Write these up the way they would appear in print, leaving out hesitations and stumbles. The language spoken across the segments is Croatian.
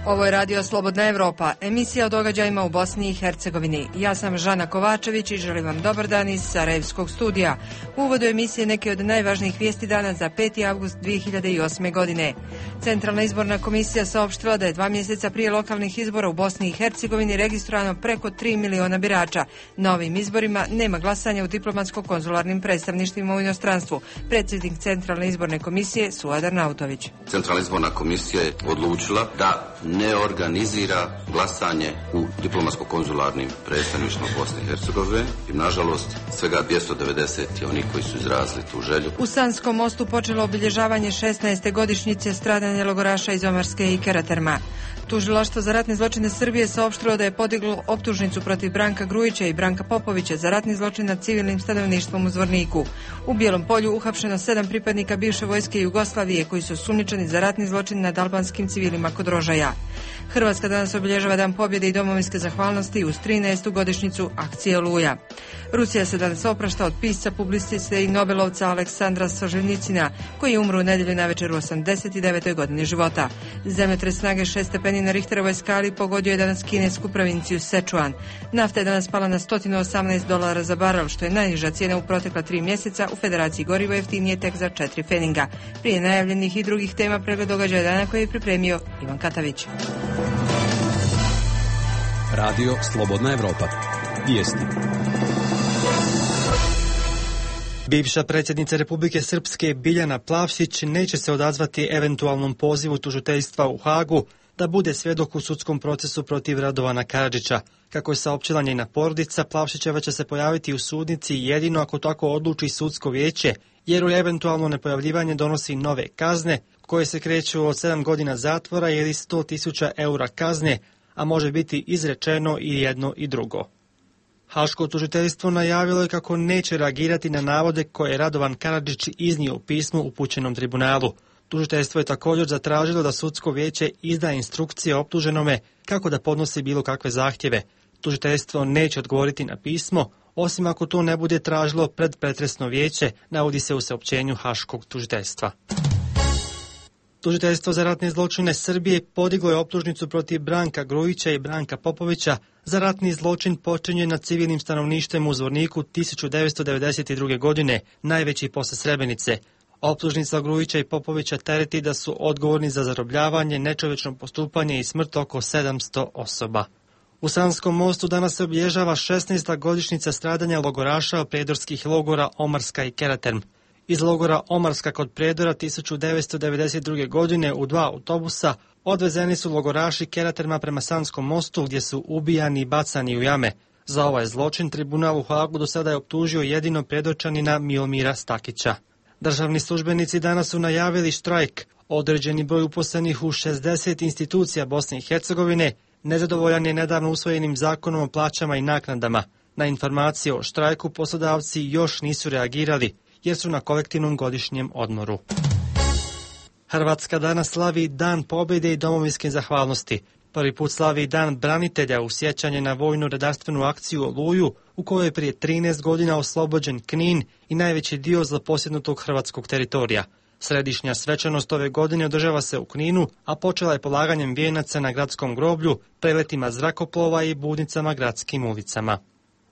Ovo je Radio Slobodna Evropa, emisija o događajima u Bosni i Hercegovini. Ja sam Žana Kovačević i želim vam dobar dan iz Sarajevskog studija. U uvodu emisije neke od najvažnijih vijesti dana za 5. avgust 2008. godine. Centralna izborna komisija saopštila da je 2 mjeseca prije lokalnih izbora u Bosni i Hercegovini registrovano preko 3 miliona birača. Na ovim izborima nema glasanja u diplomatsko-konzularnim predstavništvima u inostranstvu. Predsjednik Centralne izborne komisije Suad Arnautović. Centralna izborna komisija je odlučila da ne organizira glasanje u diplomatsko-konzularnim predstavništvima Bosne i Hercegovine i nažalost svega 290 je oni koji su izrazili tu želju. U Sanskom mostu počelo obilježavanje 16. godišnjice stradanja logoraša iz Omarske i Karaterma. Tužilaštvo za ratne zločine Srbije saopštilo da je podiglo optužnicu protiv Branka Grujića i Branka Popovića za ratni zločin nad civilnim stanovništvom u Zvorniku. U Bijelom Polju uhapšeno 7 pripadnika bivše vojske Jugoslavije koji su osumnjičeni za ratni zločin nad albanskim civilima kod Rožaja. Hrvatska danas obilježava Dan pobjede i domovinske zahvalnosti uz 13. godišnjicu akcije Oluja. Rusija se danas oprašta od pisca, publiciste i nobelovca Aleksandra Solženjicina, koji je umro u nedjelju navečer u 89. godini života. Zemljotres snage 6 stepeni na Richterovoj skali pogodio je danas kinesku provinciju Sečuan. Nafta je danas pala na $118 za barel, što je najniža cijena u protekla 3 mjeseca. U Federaciji gorivo jeftinije tek za 4 pfeninga. Prije najavljenih i drugih tema pregled događaja dana koji je pripremio Ivan Katavić. Radio Slobodna Evropa. Vijesti. Bivša predsjednica Republike Srpske Biljana Plavšić neće se odazvati eventualnom pozivu tužiteljstva u Hagu da bude svjedok u sudskom procesu protiv Radovana Karadžića. Kako je saopćila njena porodica, Plavšićeva će se pojaviti u sudnici jedino ako tako odluči sudsko vijeće, jer u eventualno nepojavljivanje donosi nove kazne koje se kreću od 7 godina zatvora ili 100.000 eura kazne, a može biti izrečeno i jedno i drugo. Haško tužiteljstvo najavilo je kako neće reagirati na navode koje je Radovan Karadžić iznio u pismu upućenom tribunalu. Tužiteljstvo je također zatražilo da sudsko vijeće izda instrukcije optuženome kako da podnosi bilo kakve zahtjeve. Tužiteljstvo neće odgovoriti na pismo, osim ako to ne bude tražilo predpretresno vijeće, navodi se u saopćenju Haškog tužiteljstva. Tužiteljstvo za ratne zločine Srbije podiglo je optužnicu protiv Branka Grujića i Branka Popovića za ratni zločin počinjen nad civilnim stanovništvom u Zvorniku 1992. godine, najveći posle Srebrenice. Optužnica Grujića i Popovića tereti da su odgovorni za zarobljavanje, nečovječno postupanje i smrt oko 700 osoba. U Sanskom mostu danas se obilježava 16. godišnjica stradanja logoraša predorskih logora Omarska i Karaterm. Iz logora Omarska kod Predora 1992. godine u 2 autobusa odvezeni su logoraši Karaterma prema Sanskom mostu gdje su ubijani i bacani u jame. Za ovaj zločin tribunal u Hagu do sada je optužio jedino predočanina Miomira Stakića. Državni službenici danas su najavili štrajk. Određeni broj uposlenih u 60 institucija Bosne i Hercegovine nezadovoljan je nedavno usvojenim zakonom o plaćama i naknadama. Na informacije o štrajku poslodavci još nisu reagirali, jer su na kolektivnom godišnjem odmoru. Hrvatska danas slavi Dan pobjede i domovinske zahvalnosti. Prvi put slavi Dan branitelja u sjećanje na vojnu redarstvenu akciju Oluju, u kojoj je prije 13 godina oslobođen Knin i najveći dio zaposjednutog hrvatskog teritorija. Središnja svečanost ove godine održava se u Kninu, a počela je polaganjem vijenaca na gradskom groblju, preletima zrakoplova i budnicama gradskim ulicama.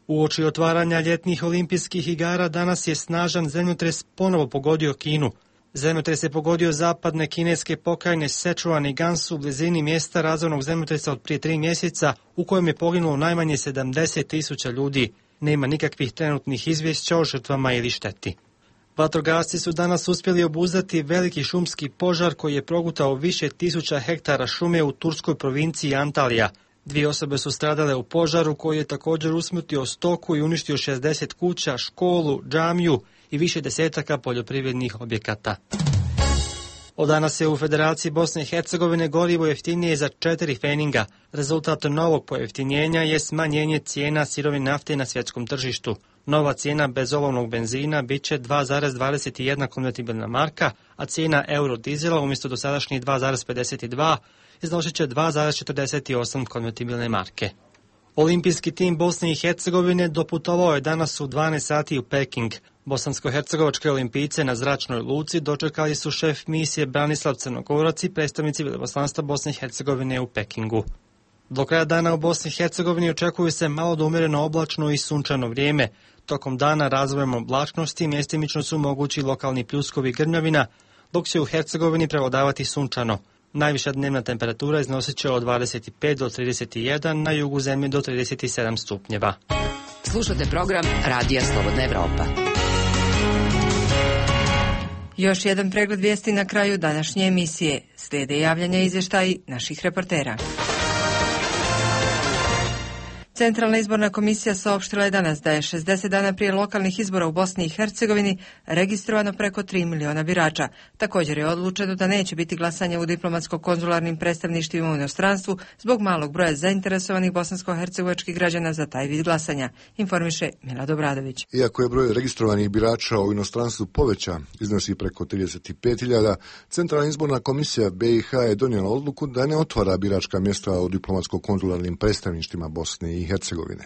Uoči otvaranja ljetnih olimpijskih igara danas je snažan zemljotres ponovo pogodio Kinu. Zemljotres je pogodio zapadne kineske pokrajine Sečuan i Gansu u blizini mjesta razornog zemljotresa od prije 3 mjeseca u kojem je poginulo najmanje 70.000 ljudi. Nema nikakvih trenutnih izvješća o žrtvama ili šteti. Vatrogasci su danas uspjeli obuzdati veliki šumski požar koji je progutao više tisuća hektara šume u turskoj provinciji Antalija. 2 osobe su stradale u požaru koji je također usmrtio stoku i uništio 60 kuća, školu, džamiju i više desetaka poljoprivrednih objekata. Od danas je u Federaciji Bosne i Hercegovine gorivo jeftinije za 4 pfeninga. Rezultat novog pojeftinjenja je smanjenje cijena sirovine nafte na svjetskom tržištu. Nova cijena bezolovnog benzina bit će 2,21 konvertibilna marka, a cijena eurodizela umjesto dosadašnjih 2,52 iznosit će 2,48 konvertibilne marke. Olimpijski tim Bosne i Hercegovine doputovao je danas u 12 sati u Peking. Bosansko-hercegovačke olimpijce na zračnoj luci dočekali su šef misije Branislav Crnogorac i predstavnici veleposlanstva Bosne i Hercegovine u Pekingu. Do kraja dana u Bosni i Hercegovini očekuje se malo do umjereno oblačno i sunčano vrijeme. Tokom dana razvojem oblačnosti mjestimično su mogući lokalni pljuskovi i grmljavina, dok će u Hercegovini prevladavati sunčano. Najviša dnevna temperatura iznosit će od 25 do 31, na jugu zemlje do 37 stupnjeva. Slušate program Radija Slobodna Evropa. Još jedan pregled vijesti na kraju današnje emisije. Slijede javljanja i izvještaji naših reportera. Centralna izborna komisija saopštila je danas da je 60 dana prije lokalnih izbora u Bosni i Hercegovini registrovano preko 3 miliona birača. Također je odlučeno da neće biti glasanja u diplomatsko-konzularnim predstavništvima u inostranstvu zbog malog broja zainteresovanih bosansko-hercegovačkih građana za taj vid glasanja, informiše Milad Obradović. Iako je broj registrovanih birača u inostranstvu povećan, iznosi preko 35.000, Centralna izborna komisija BiH je donijela odluku da ne otvara biračka mjesta u diplomatsko-konzularnim predstavništvima Bosne i Hercegovine.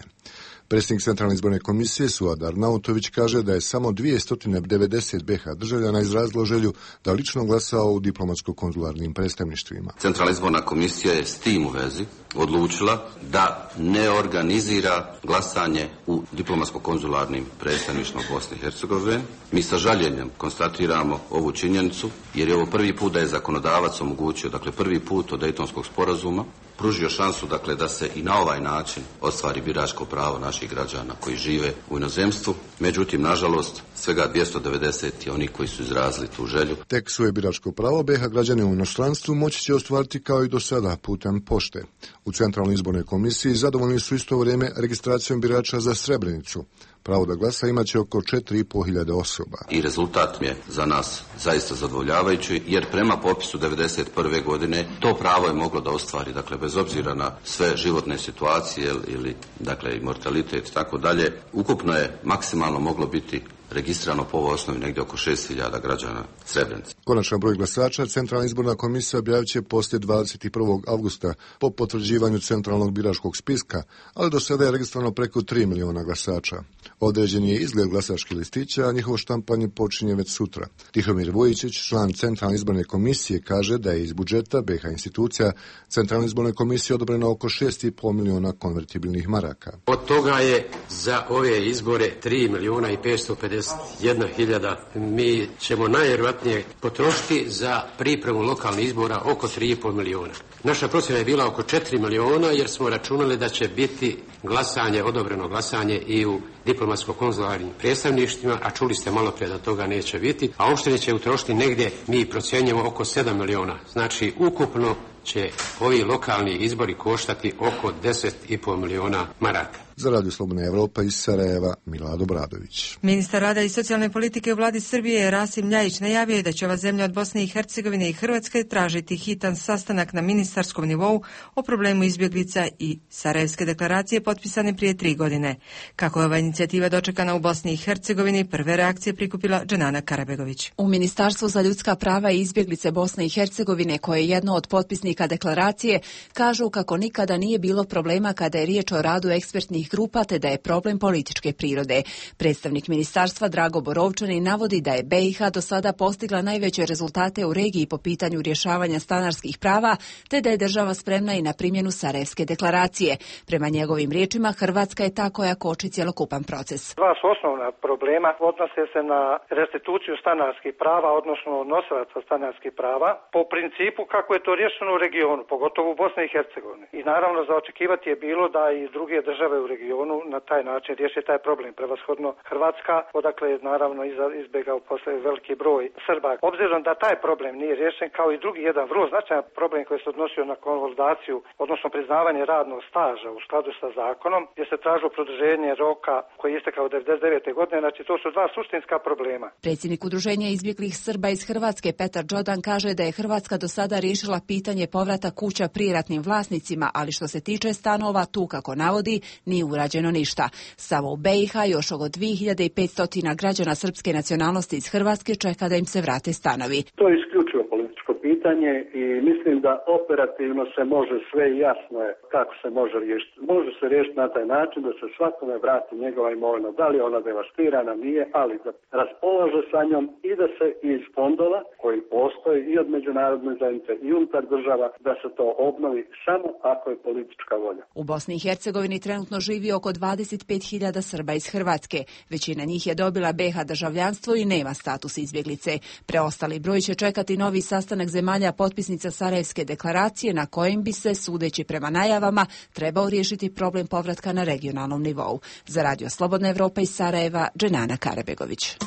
Predsjednik Centralne izborne komisije Suad Arnautović kaže da je samo 290 BiH državljana izrazilo želju da lično glasao u diplomatsko-konzularnim predstavništvima. Centralna izborna komisija je s tim u vezi odlučila da ne organizira glasanje u diplomatsko-konzularnim predstavništvima Bosne i Hercegovine. Mi sa žaljenjem konstatiramo ovu činjenicu jer je ovo prvi put da je zakonodavac omogućio, dakle prvi put od Dejtonskog sporazuma, pružio šansu dakle da se i na ovaj način ostvari biračko pravo naših građana koji žive u inozemstvu. Međutim, nažalost, svega 290 je oni koji su izrazili tu želju. Tek svoje biračko pravo BiH građani u inostranstvu moći će ostvariti kao i do sada putem pošte. U Centralnoj izbornoj komisiji zadovoljni su isto vrijeme registracijom birača za Srebrenicu. Pravo da glasa imaće oko 4.500 osoba. I rezultat je za nas zaista zadovoljavajući, jer prema popisu 1991. godine to pravo je moglo da ostvari, dakle bez obzira na sve životne situacije ili dakle i mortalitet i tako dalje, ukupno je maksimalno moglo biti registrirano po ovoj osnovi negdje oko 6.000 građana Srebrenice. Konačan broj glasača Centralna izborna komisija objavit će poslije 21. avgusta po potvrđivanju centralnog biračkog spiska, ali do sada je registrovano preko 3 miliona glasača. Određen je izgled glasačkih listića, a njihovo štampanje počinje već sutra. Tihomir Vujičić, član Centralne izborne komisije, kaže da je iz budžeta BiH institucija Centralne izborne komisije odobreno oko 6,5 miliona konvertibilnih maraka. Od toga je za ove izbore 3.551.000. Mi ćemo najvjerojatnije potrošiti za pripremu lokalnih izbora oko 3,5 miliona. Naša procjena je bila oko 4 miliona jer smo računali da će biti glasanje, odobreno glasanje i u diplomatsko-konzularnim predstavništvima, a čuli ste malo prije da toga neće biti, a opštine će utrošiti negdje, mi procjenjujemo, oko 7 miliona. Znači, ukupno će ovi lokalni izbori koštati oko 10,5 miliona maraka. Za Radio Slobodna Evropa iz Sarajeva, Milad Obradović. Ministar rada i socijalne politike u vladi Srbije Rasim Ljajić najavio je da će ova zemlja od Bosne i Hercegovine i Hrvatske tražiti hitan sastanak na ministarskom nivou o problemu izbjeglica i Sarajevske deklaracije potpisane prije 3 godine. Kako je ova inicijativa dočekana u Bosni i Hercegovini, prve reakcije prikupila Dženana Karabegović. U Ministarstvu za ljudska prava i izbjeglice Bosne i Hercegovine, koje je jedno od potpisnika deklaracije, kažu kako nikada nije bilo problema kada je riječ o radu ekspertnih grupa, te da je problem političke prirode. Predstavnik ministarstva Drago Borovčanin navodi da je BiH do sada postigla najveće rezultate u regiji po pitanju rješavanja stanarskih prava, te da je država spremna i na primjenu Sarajevske deklaracije. Prema njegovim riječima, Hrvatska je ta koja koči cjelokupan proces. Dva su osnovna problema, odnose se na restituciju stanarskih prava, odnosno nosilaca stanarskih prava, po principu kako je to riješeno u regionu, pogotovo u Bosni i Hercegovini. I naravno za očekivati je bilo da i druge države u regionu na taj način riješi taj problem. Prevashodno Hrvatska, odakle je naravno izbjegao posle veliki broj Srba. Obzirom da taj problem nije riješen, kao i drugi jedan vrlo značajan problem koji se odnosio na konvalidaciju, odnosno priznavanje radnog staža u skladu sa zakonom, gdje se tražilo produženje roka koji je istekao 1999. godine, znači to su dva suštinska problema. Predsjednik Udruženja izbjeglih Srba iz Hrvatske Petar Đodan kaže da je Hrvatska do sada riješila pitanje povrata kuća prijeratnim vlasnicima, ali što se tiče stanova, tu kako navodi, nije urađeno ništa. Samo u BiH još oko 2500 građana srpske nacionalnosti iz Hrvatske čeka da im se vrate stanovi. To je isključivo političko pitanje. pitanje i mislim da operativno se može sve i jasno je kako se može riješiti. Može se riješiti na taj način da se svakome vrati njegova imovina. Da li je ona devastirana, nije, ali da raspolaže sa njom i da se iz fondova koji postoje i od međunarodne zajednice i unutar država da se to obnovi samo ako je politička volja. U Bosni i Hercegovini trenutno živi oko 25.000 Srba iz Hrvatske. Većina njih je dobila BiH državljanstvo i nema status izbjeglice. Preostali broj će čekati novi sastanak zemalja potpisnica Sarajevske deklaracije na kojem bi se, sudeći prema najavama, trebao riješiti problem povratka na regionalnom nivou. Za Radio Slobodna Evropa iz Sarajeva, Dženana Karabegović.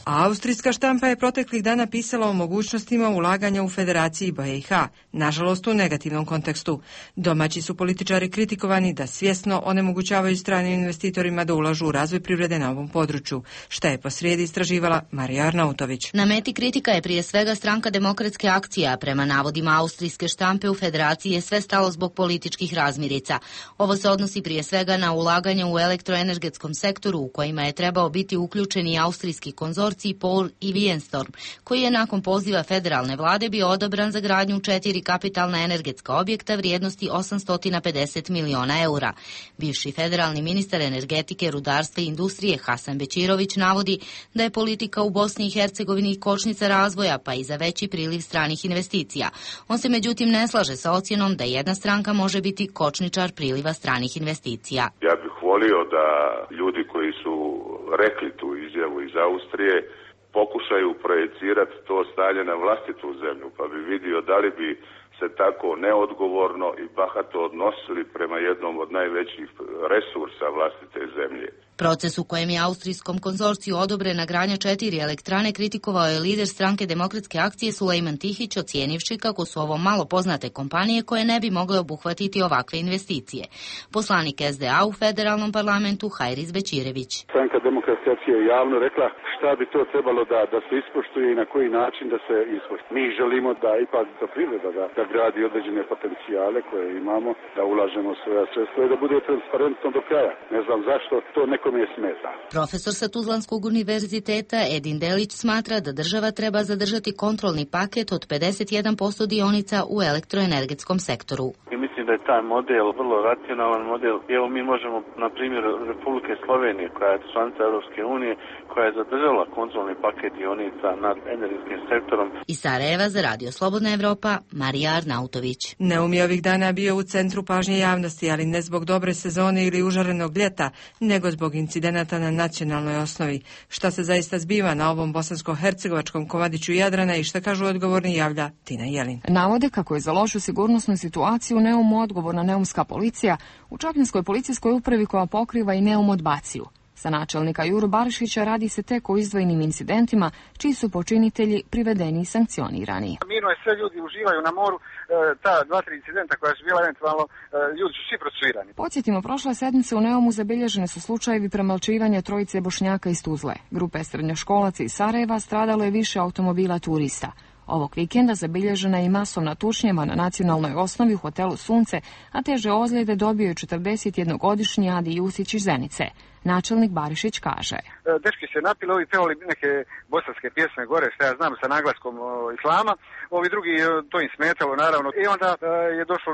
Austrijska štampa je proteklih dana pisala o mogućnostima ulaganja u Federaciji BiH, nažalost u negativnom kontekstu. Domaći su političari kritikovani da svjesno onemogućavaju stranim investitorima da ulažu u razvoj privrede na ovom području, šta je posrijedi istraživala Marija Arnautović. Na meti kritika je prije svega Stranka demokratske akcije, a prema navodima austrijske štampe u Federaciji je sve stalo zbog političkih razmirica. Ovo se odnosi prije svega na ulaganje u elektroenergetskom sektoru u kojima je trebao biti uključen i austrijski konzorcij Pol i Wienstorm, koji je nakon poziva federalne vlade bio odobran za gradnju 4 kapitalna energetska objekta vrijednosti 850 miliona eura. Bivši federalni ministar energetike, rudarstva i industrije Hasan Bećirović navodi da je politika u Bosni i Hercegovini kočnica razvoja, pa i za veći priliv stranih investicija. On se međutim ne slaže sa ocjenom da jedna stranka može biti kočničar priliva stranih investicija. Ja bih volio da ljudi koji su rekli tu izjavu iz Austrije pokušaju projecirati to stanje na vlastitu zemlju, pa bi vidio da li bi se tako neodgovorno i bahato odnosili prema jednom od najvećih resursa vlastite zemlje. Proces u kojem je austrijskom konzorciju odobrena gradnja 4 elektrane kritikovao je lider Stranke demokratske akcije Sulejman Tihić, ocijenivši kako su ovo malo poznate kompanije koje ne bi mogle obuhvatiti ovakve investicije. Poslanik SDA u federalnom parlamentu Hajris Bećirević. Stranka demokratske akcije je javno rekla šta bi to trebalo da se ispoštuje i na koji način da se ispoštuje. Mi želimo da ipak ta privreda da gradi određene potencijale koje imamo, da ulažemo svoja sredstva i da bude transparentno do kraja. Ne znam zašto to nekome smeta. Profesor sa Tuzlanskog univerziteta Edin Delić smatra da država treba zadržati kontrolni paket od 51% dionica u elektroenergetskom sektoru. I mislim da je taj model vrlo racionalan model. Evo mi možemo, na primjer, Republike Slovenije, koja je članica Europske unije, koja je zadržala kontrolni paket dionica nad energetskim sektorom. Iz Sarajeva za Radio Slobodna Evropa, Marija Arnautović. Neum je ovih dana bio u centru pažnje javnosti, ali ne zbog dobre sezone ili užarenog ljeta, nego zbog incidenata na nacionalnoj osnovi. Šta se zaista zbiva na ovom bosansko-hercegovačkom komadiću Jadrana i šta kažu odgovorni, javlja Tina Jelin. Navode kako je za lošu sigurnosnu situaciju u Neumu odgovorna neumska policija, u Čapljinskoj policijskoj upravi koja pokriva i Neum odbaciju. Za načelnika Juru Barišića radi se tek o izdvojenim incidentima, čiji su počinitelji privedeni i sankcionirani. Mirno je, sve ljudi uživaju na moru, ta 2-3 incidenta koja su bila eventualno, ljudi su svi procesuirani. Podsjetimo, prošle sedmice u Neumu zabilježene su slučajevi premlaćivanja trojice Bošnjaka iz Tuzle. Grupe srednjoškolaca iz Sarajeva stradalo je više automobila turista. Ovog vikenda zabilježena je i masovna tučnjava na nacionalnoj osnovi u hotelu Sunce, a teže ozljede dobio je 41-godišnji Adi Jusić iz Zenice. Načelnik Barišić kaže. Dečki se napili, ovi pevali neke bosanske pjesme gore, što ja znam, sa naglaskom islama. Ovi drugi, to im smetalo, naravno. I onda je došlo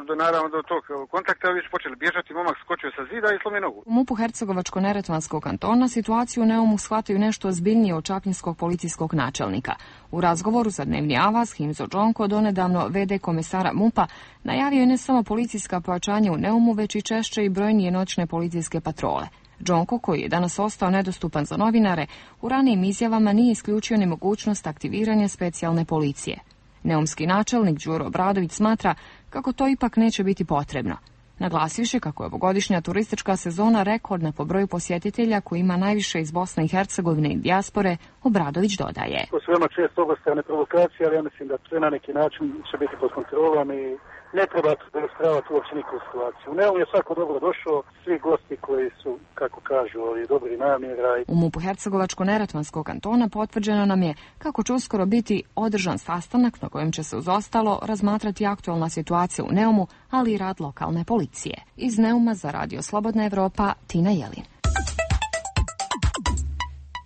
do tog kontakta, ovi su počeli bježati, momak skočio sa zida i slomio nogu. U MUP-u Hercegovačko-Neretvanskog kantona situaciju u Neumu shvataju nešto ozbiljnije od čapljinskog policijskog načelnika. U razgovoru za Dnevni Avaz, Himzo Džonko, donedavno VD komesara MUP-a, najavio je ne samo policijska pojačanja u Neumu, već i češće i brojnije noćne policijske patrole. Džonko, koji je danas ostao nedostupan za novinare, u ranijim izjavama nije isključio ni mogućnost aktiviranja specijalne policije. Neumski načelnik Đuro Obradović smatra kako to ipak neće biti potrebno. Naglasivši kako je ovogodišnja turistička sezona rekordna po broju posjetitelja koji ima najviše iz Bosne i Hercegovine i dijaspore, Obradović dodaje. To su veoma često obostrane provokacije, ali ja mislim da sve na neki način će biti pod kontrolom i ne treba demonstravati uopće nikakvu situaciju. U Neum je svako dobro došao, svi gosti koji su, kako kažu, dobri namjera. U MUP-u Hercegovačko-Neretvanskog kantona potvrđeno nam je kako će uskoro biti održan sastanak na kojem će se uz ostalo razmatrati aktualna situacija u Neumu, ali i rad lokalne policije. Iz Neuma za Radio Slobodna Evropa, Tina Jelin.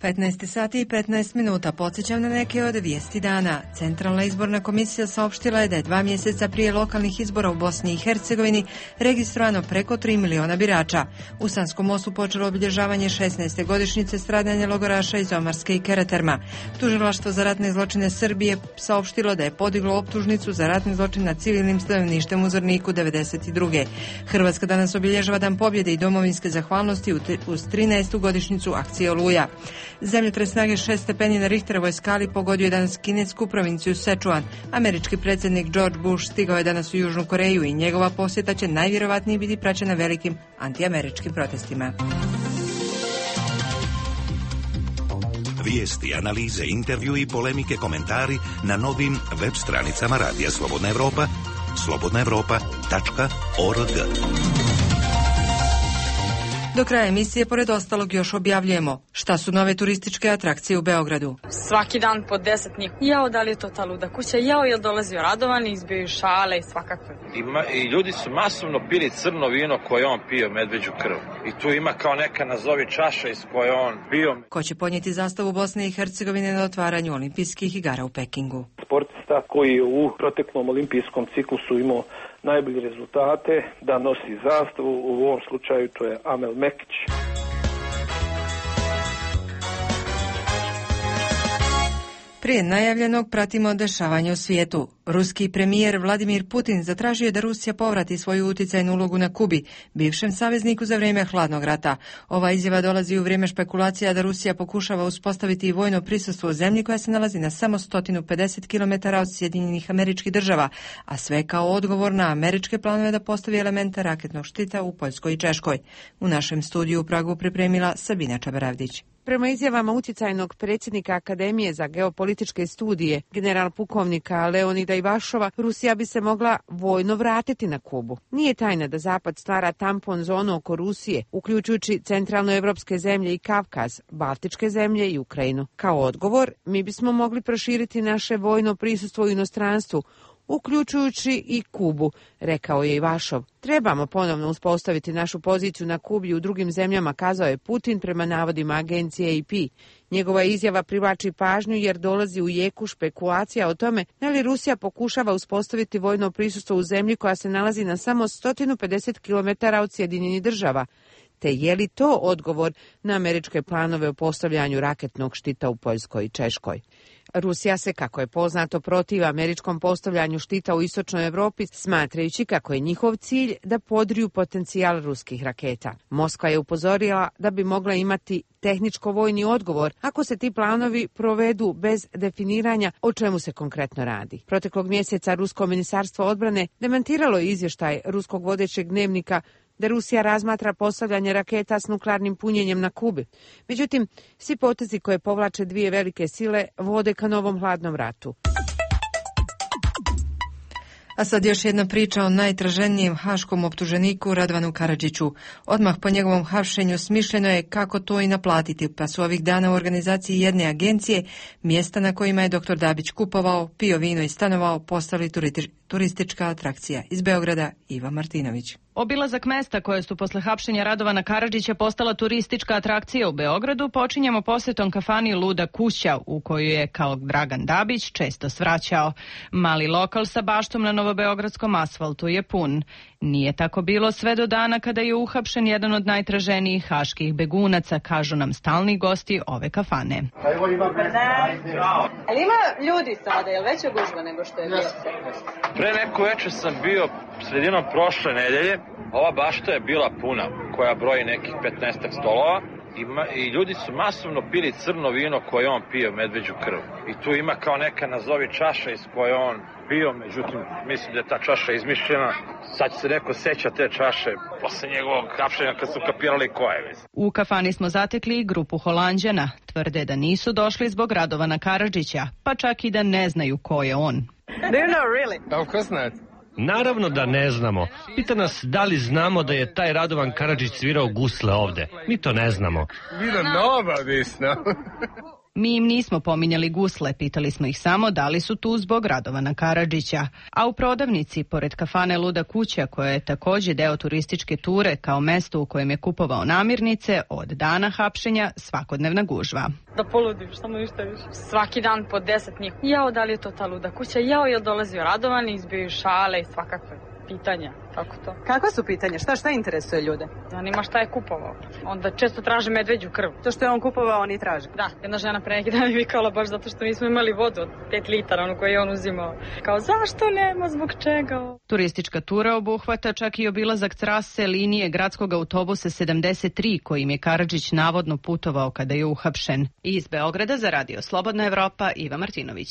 15 sati i 15 minuta. Podsjećam na neke od vijesti dana. Centralna izborna komisija saopštila je da je 2 mjeseca prije lokalnih izbora u Bosni i Hercegovini registrovano preko 3 miliona birača. U Sanskom mostu počelo obilježavanje 16. godišnjice stradanja logoraša iz Omarske i Karaterma. Tužilaštvo za ratne zločine Srbije saopštilo da je podiglo optužnicu za ratni zločin nad civilnim stanovništvom u Zvorniku 92. Hrvatska danas obilježava Dan pobjede i domovinske zahvalnosti uz 13. godišnjicu akcije Oluja. Zemljotres snage 6 stepeni na Richterovoj skali pogodio je danas kinesku provinciju Sečuan. Američki predsjednik George Bush stigao je danas u Južnu Koreju i njegova posjeta će najvjerovatnije biti praćena velikim antiameričkim protestima. Vijesti, analize, intervju i polemike, komentari na novim web stranicama Radija Slobodna Evropa, slobodnaevropa.org. Do kraja emisije, pored ostalog, još objavljujemo šta su nove turističke atrakcije u Beogradu. Svaki dan po 10 njih. Jao, da li je to ta luda kuća? Jao, je li dolazio Radovan, izbiju šale i svakakve. I ljudi su masovno pili crno vino koje on pio, medveđu krv. I tu ima kao neka nazovi čaša iz koje on pio. Ko će podnijeti zastavu Bosne i Hercegovine na otvaranju olimpijskih igara u Pekingu? Sportista koji je u proteklom olimpijskom ciklusu imao najbolje rezultate, da nosi zastavu, u ovom slučaju to je Amel Mekić. Prije najavljenog pratimo dešavanje u svijetu. Ruski premijer Vladimir Putin zatražio je da Rusija povrati svoju utjecajnu ulogu na Kubi, bivšem savezniku za vrijeme hladnog rata. Ova izjava dolazi u vrijeme špekulacija da Rusija pokušava uspostaviti vojno prisustvo u zemlji koja se nalazi na samo 150 km od Sjedinjenih Američkih Država, a sve kao odgovor na američke planove da postavi elemente raketnog štita u Poljskoj i Češkoj. U našem studiju u Pragu pripremila Sabina Čabaravdić. Prema izjavama utjecajnog predsjednika Akademije za geopolitičke studije, general pukovnika Leonida Ivašova, Rusija bi se mogla vojno vratiti na Kubu. Nije tajna da Zapad stvara tampon zonu oko Rusije, uključujući centralnoevropske zemlje i Kavkaz, Baltičke zemlje i Ukrajinu. Kao odgovor, mi bismo mogli proširiti naše vojno prisustvo u inostranstvu, uključujući i Kubu, rekao je Ivašov. Trebamo ponovno uspostaviti našu poziciju na Kubi i u drugim zemljama, kazao je Putin prema navodima agencije AP. Njegova izjava privlači pažnju jer dolazi u jeku špekulacija o tome da li Rusija pokušava uspostaviti vojno prisustvo u zemlji koja se nalazi na samo 150 km od Sjedinjenih Država, te je li to odgovor na američke planove o postavljanju raketnog štita u Poljskoj i Češkoj. Rusija se, kako je poznato, protiv američkom postavljanju štita u istočnoj Europi, smatrajući kako je njihov cilj da podriju potencijal ruskih raketa. Moskva je upozorila da bi mogla imati tehničko-vojni odgovor ako se ti planovi provedu bez definiranja o čemu se konkretno radi. Proteklog mjeseca Rusko ministarstvo odbrane demantiralo je izvještaj ruskog vodećeg dnevnika da Rusija razmatra postavljanje raketa s nuklearnim punjenjem na Kubi. Međutim, svi potezi koje povlače dvije velike sile vode ka novom hladnom ratu. A sad još jedna priča o najtraženijem haškom optuženiku Radovanu Karadžiću. Odmah po njegovom hapšenju smišljeno je kako to i naplatiti, pa su ovih dana u organizaciji jedne agencije mjesta na kojima je dr. Dabić kupovao, pio vino i stanovao postali turistička atrakcija. Iz Beograda Iva Martinović. Obilazak mesta koje su posle hapšenja Radovana Karadžića postala turistička atrakcija u Beogradu počinjemo posjetom kafani Luda kuća u koju je kao Dragan Dabić često svraćao. Mali lokal sa baštom na novobeogradskom asfaltu je pun. Nije tako bilo sve do dana kada je uhapšen jedan od najtraženijih haških begunaca, kažu nam stalni gosti ove kafane. Ali ima ljudi sada, je li veća gužva nego što je bio? Pre neko večer sam bio sredinom prošle nedelje. Ova bašta je bila puna, koja broji nekih 15 stolova. I ljudi su masovno pili crno vino koje on pio, medveđu krv. I tu ima kao neka nazovi čaša iz koje on pio, međutim mislim da je ta čaša izmišljena. Sad će se neko seća te čaše posle njegovog hapšenja kad su kapirali ko je. U kafani smo zatekli i grupu Holanđana. Tvrde da nisu došli zbog Radovana Karadžića, pa čak i da ne znaju ko je on. Do you know really? Of course not. Naravno da ne znamo. Pita nas da li znamo da je taj Radovan Karadžić svirao gusle ovde. Mi to ne znamo. We don't know about this, no? Mi im nismo pominjali gusle, pitali smo ih samo da li su tu zbog Radovana Karadžića. A u prodavnici, pored kafane Luda kuća, koja je također deo turističke ture kao mesto u kojem je kupovao namirnice, od dana hapšenja svakodnevna gužva. Da poludim, šta mu ništa više. Svaki dan po 10 njih. Jao, da li je to ta Luda kuća? Jao, je dolazio Radovan, izbio šale i svakakve pitanja. Kako to? Kakva su pitanja? Šta interesuje ljude? Zanima šta je kupovao. Onda često traže medveđu krv. To što je on kupovao, oni traže? Da, jedna žena pre neki dan mi vikala baš zato što nismo imali vodu od 5 litara, onu koju je on uzimao. Kao, zašto nema, zbog čega? Turistička tura obuhvata čak i obilazak trase linije gradskog autobusa 73, kojim je Karadžić navodno putovao kada je uhapšen. Iz Beograda za Radio Slobodna Evropa, Iva Martinović.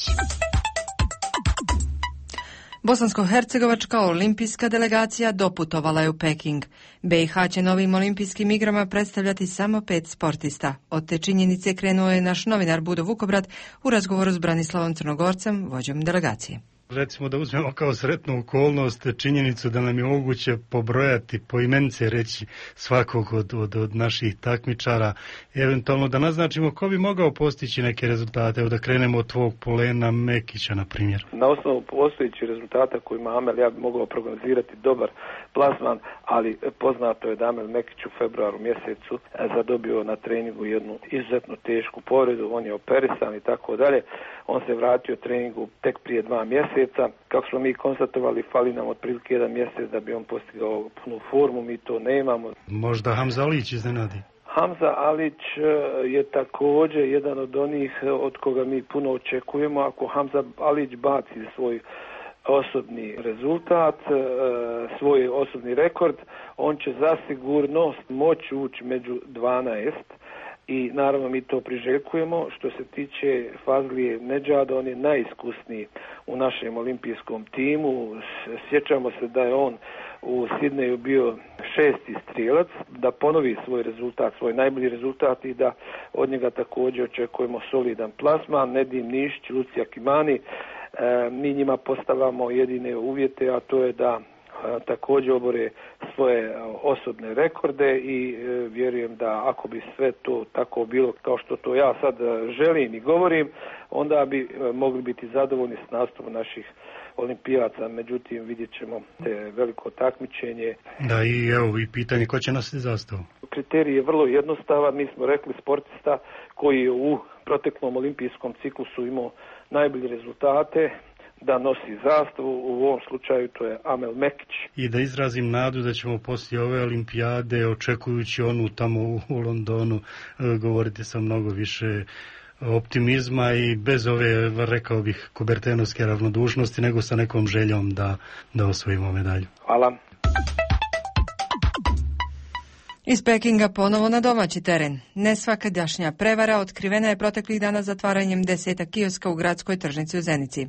Bosansko-hercegovačka olimpijska delegacija doputovala je u Peking. BiH će novim olimpijskim igrama predstavljati samo 5 sportista. Od te činjenice krenuo je naš novinar Budo Vukobrad u razgovoru s Branislavom Crnogorcem, vođom delegacije. Recimo da uzmemo kao sretnu okolnost činjenicu da nam je moguće pobrojati, poimence reći svakog od naših takmičara, eventualno da naznačimo ko bi mogao postići neke rezultate. Evo da krenemo od tvog Polena Mekića, na primjer. Na osnovu postojećih rezultata koji ima Amel, ja bi mogao prognozirati dobar plasman, ali poznato je da Amel Mekić u februaru mjesecu zadobio na treningu jednu izuzetno tešku povredu, on je operisan i tako dalje. On se vratio treningu tek prije 2 mjeseca. Kako smo mi konstatovali, fali nam otprilike 1 mjesec da bi on postigao punu formu, mi to nemamo. Možda Hamza Alić iznenadi? Hamza Alić je također jedan od onih od koga mi puno očekujemo. Ako Hamza Alić baci svoj osobni rezultat, svoj osobni rekord, on će zasigurno moći ući među 12. I naravno mi to priželjkujemo. Što se tiče Fazlije Nedžada, on je najiskusniji u našem olimpijskom timu. Sjećamo se da je on u Sidneju bio 6. strijelac, da ponovi svoj rezultat, svoj najbolji rezultat i da od njega također očekujemo solidan plasman. Nedim Nišić, Lucija Kimani, mi njima postavljamo jedine uvjete, a to je da također obore svoje osobne rekorde i vjerujem da ako bi sve to tako bilo kao što to ja sad želim i govorim, onda bi mogli biti zadovoljni s nastupom naših olimpijaca. Međutim, vidjet ćemo te veliko takmičenje. Da, i evo i pitanje ko će nositi zastavu. Kriterij je vrlo jednostavan. Mi smo rekli sportista koji je u proteklom olimpijskom ciklusu imao najbolje rezultate da nosi zastavu, u ovom slučaju to je Amel Mekić. I da izrazim nadu da ćemo poslije ove olimpijade, očekujući onu tamo u Londonu, govoriti sa mnogo više optimizma i bez ove, rekao bih, kubertenovske ravnodušnosti, nego sa nekom željom da osvojimo medalju. Hvala. Iz Pekinga ponovo na domaći teren. Nesvakadašnja prevara otkrivena je proteklih dana zatvaranjem 10 kioska u gradskoj tržnici u Zenici.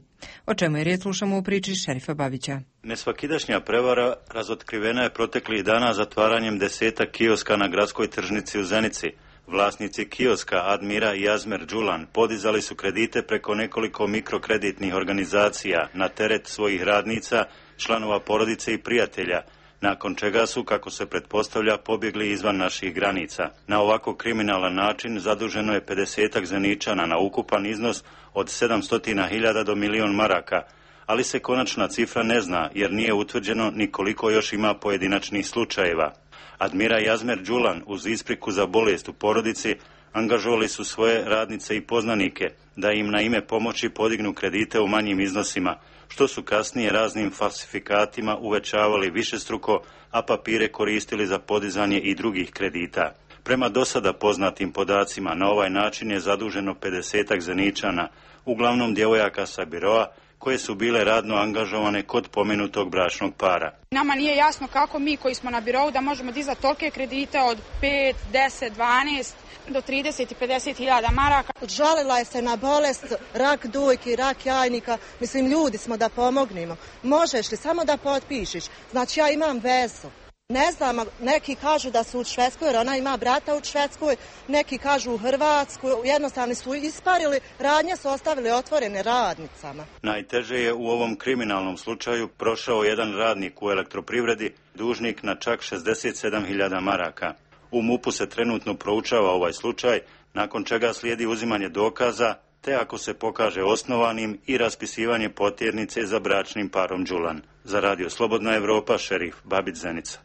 O čemu je riječ, slušamo u priči Šerifa Babića. Nesvakidašnja prevara razotkrivena je proteklih dana zatvaranjem 10 kioska na gradskoj tržnici u Zenici. Vlasnici kioska Admira i Azmer Đulan podizali su kredite preko nekoliko mikrokreditnih organizacija na teret svojih radnica, članova porodice i prijatelja, nakon čega su, kako se pretpostavlja, pobjegli izvan naših granica. Na ovako kriminalan način zaduženo je 50 Zeničana na ukupan iznos od 700.000 do 1.000.000 maraka, ali se konačna cifra ne zna jer nije utvrđeno ni koliko još ima pojedinačnih slučajeva. Admira i Azmer Đulan uz ispriku za bolest u porodici angažovali su svoje radnice i poznanike da im na ime pomoći podignu kredite u manjim iznosima, što su kasnije raznim falsifikatima uvećavali višestruko, a papire koristili za podizanje i drugih kredita. Prema dosada poznatim podacima, na ovaj način je zaduženo 50 Zeničana, uglavnom djevojaka sa biroa, koje su bile radno angažovane kod pomenutog bračnog para. Nama nije jasno kako mi koji smo na birou da možemo dizati tolike kredite od 5, 10, 12 do 30 i 50.000 maraka. Žalila je se na bolest, rak dojke, rak jajnika. Mislim, ljudi smo da pomognemo. Možeš li samo da potpišiš? Znači, ja imam vezu. Ne znam, neki kažu da su u Švedskoj, jer ona ima brata u Švedskoj, neki kažu u Hrvatskoj, jednostavno su isparili, radnje su ostavili otvorene radnicama. Najteže je u ovom kriminalnom slučaju prošao jedan radnik u elektroprivredi, dužnik na čak 67.000 maraka. U MUP-u se trenutno proučava ovaj slučaj, nakon čega slijedi uzimanje dokaza, te ako se pokaže osnovanim i raspisivanje potjernice za bračnim parom Đulan. Za Radio Slobodna Evropa, šerif Babić Zenica.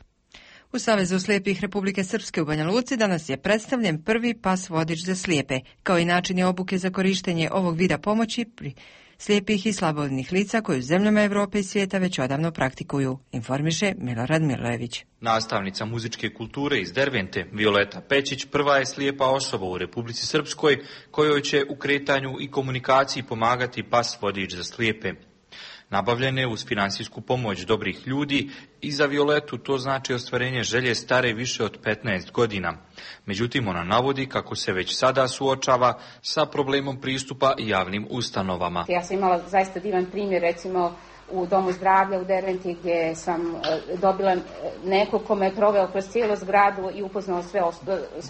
U Savezu slijepih Republike Srpske u Banja Luci danas je predstavljen prvi pas vodič za slijepe, kao i načini obuke za korištenje ovog vida pomoći pri slijepih i slabovidnih lica koji u zemljama Evrope i svijeta već odavno praktikuju, informiše Milorad Milojević. Nastavnica muzičke kulture iz Dervente, Violeta Pećić, prva je slijepa osoba u Republici Srpskoj kojoj će u kretanju i komunikaciji pomagati pas vodič za slijepe. Nabavljene uz finansijsku pomoć dobrih ljudi i za Violetu to znači ostvarenje želje stare više od 15 godina. Međutim, ona navodi kako se već sada suočava sa problemom pristupa javnim ustanovama. Ja sam imala zaista divan primjer, recimo u Domu zdravlja u Derventi, gdje sam dobila nekog ko me je proveo kroz cijelu zgradu i upoznao sve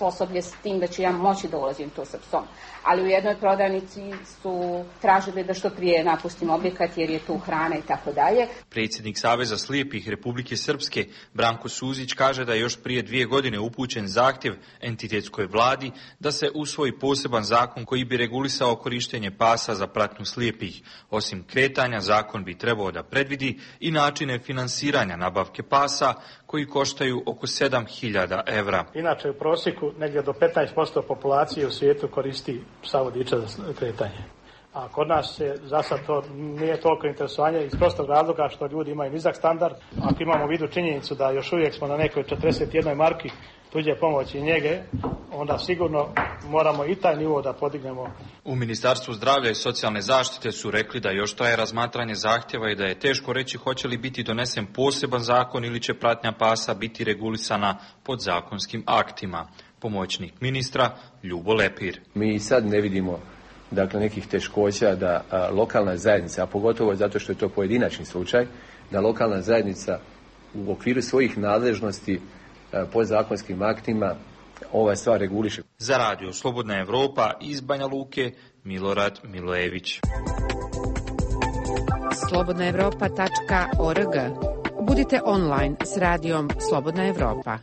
osoblje s tim da ću ja moći da ulazim tu sa psom. Ali u jednoj prodavnici su tražili da što prije napustim objekat jer je tu hrana i tako dalje. Predsjednik Saveza slijepih Republike Srpske Branko Suzić kaže da je još prije 2 godine upućen zahtjev entitetskoj vladi da se usvoji poseban zakon koji bi regulisao korištenje pasa za pratnju slijepih. Osim kretanja, zakon bi trebao da predvidi i načine finansiranja nabavke pasa koji koštaju oko 7.000 evra. Inače u prosjeku negdje do 15% populacije u svijetu koristi psa vodiča za kretanje. A kod nas se za sad to nije toliko interesovanje iz prostog razloga što ljudi imaju nizak standard. Ako imamo u vidu činjenicu da još uvijek smo na nekoj 41 marki tuđe pomoći i njege, onda sigurno moramo i taj nivo da podignemo. U Ministarstvu zdravlja i socijalne zaštite su rekli da još traje razmatranje zahtjeva i da je teško reći hoće li biti donesen poseban zakon ili će pratnja pasa biti regulisana podzakonskim aktima. Pomoćnik ministra Ljubo Lepir. Mi sad ne vidimo nekih teškoća da lokalna zajednica, a pogotovo zato što je to pojedinačni slučaj, da lokalna zajednica u okviru svojih nadležnosti podzakonskim aktima ova stvar reguliše. Za Radio Slobodna Evropa iz Banja Luke, Milorad Milojević. slobodnaevropa.org. Budite online s radijom Slobodna Evropa.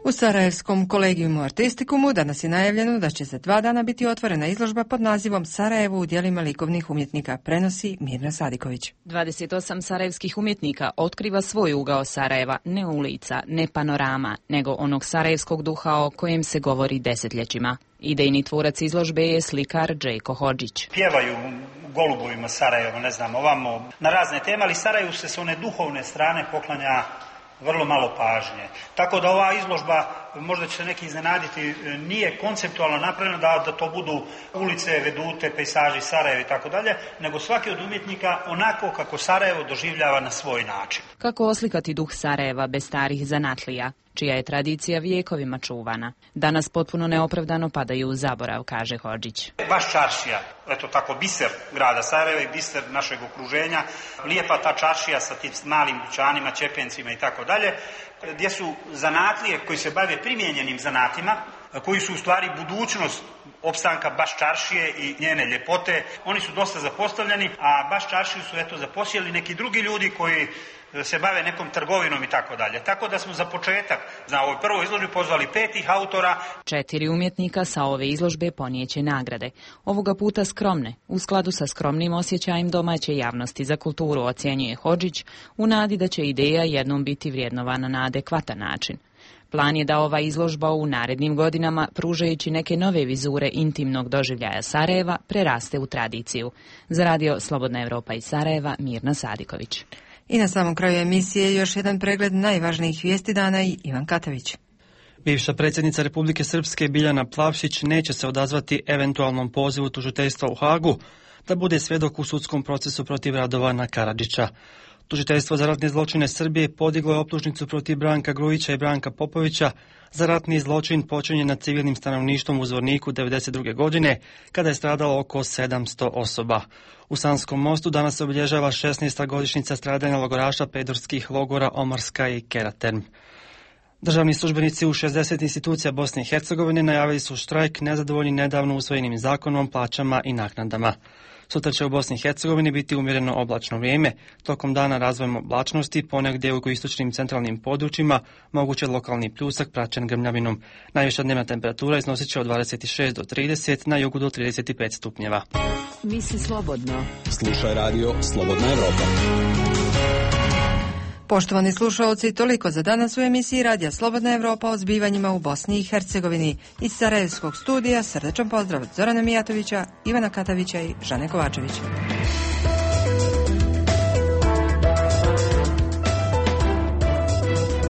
U Sarajevskom kolegijumu artistikumu danas je najavljeno da će za 2 dana biti otvorena izložba pod nazivom Sarajevo u djelima likovnih umjetnika, prenosi Mirna Sadiković. 28 sarajevskih umjetnika otkriva svoj ugao Sarajeva, ne ulica, ne panorama, nego onog sarajevskog duha o kojem se govori desetljećima. Idejni tvorac izložbe je slikar Džejko Hodžić. Pjevaju u golubovima Sarajevo, ne znam, ovamo na razne teme, ali Sarajevu se s one duhovne strane poklanja vrlo malo pažnje. Tako da ova izložba, možda će se neki iznenaditi, nije konceptualno napravljena da to budu ulice, vedute, pejsaži Sarajeva i tako dalje, nego svaki od umjetnika onako kako Sarajevo doživljava na svoj način. Kako oslikati duh Sarajeva bez starih zanatlija, čija je tradicija vijekovima čuvana? Danas potpuno neopravdano padaju u zaborav, kaže Hodžić. Baš čaršija, eto tako, biser grada Sarajeva i biser našeg okruženja. Lijepa ta čaršija sa tim malim dućanima, čepencima i tako dalje, gdje su zanatlije koji se bave primijenjenim zanatima, koji su u stvari budućnost opstanka baš čaršije i njene ljepote. Oni su dosta zapostavljeni, a baš čaršiju su zaposjeli neki drugi ljudi koji se bave nekom trgovinom i tako dalje. Tako da smo za početak na ovoj prvoj izložbi pozvali 5 autora. 4 umjetnika sa ove izložbe ponijeće nagrade. Ovoga puta skromne, u skladu sa skromnim osjećajem domaće javnosti za kulturu, ocjenjuje Hodžić, u nadi da će ideja jednom biti vrijednovana na adekvatan način. Plan je da ova izložba u narednim godinama, pružajući neke nove vizure intimnog doživljaja Sarajeva, preraste u tradiciju. Za Radio Slobodna Evropa iz Sarajeva, Mirna Sadiković. I na samom kraju emisije još jedan pregled najvažnijih vijesti dana i Ivan Katavić. Bivša predsjednica Republike Srpske Biljana Plavšić neće se odazvati eventualnom pozivu tužiteljstva u Hagu da bude svjedok u sudskom procesu protiv Radovana Karadžića. Tužiteljstvo za ratne zločine Srbije podiglo je optužnicu protiv Branka Grujića i Branka Popovića za ratni zločin počinjen nad civilnim stanovništvom u Zvorniku 1992. godine, kada je stradalo oko 700 osoba. U Sanskom mostu danas se obilježava 16. godišnjica stradanja logoraša pedorskih logora Omorska i Keraterm. Državni službenici u 60 institucija Bosne i Hercegovine najavili su štrajk nezadovoljni nedavno usvojenim zakonom, plaćama i naknadama. Sutra će u Bosni i Hercegovini biti umjereno oblačno vrijeme. Tokom dana razvojem oblačnosti ponegdje u jugoistočnim centralnim područjima moguće lokalni pljusak praćen grmljavinom. Najviša dnevna temperatura iznosit će od 26 do 30, na jugu do 35 stupnjeva. Misli slobodno. Slušaj radio Slobodna Evropa. Poštovani slušalci, toliko za danas u emisiji Radija Slobodna Evropa o zbivanjima u Bosni i Hercegovini. Iz Sarajevskog studija srdečan pozdrav od Zorana Mijatovića, Ivana Katavića i Žane Kovačevića.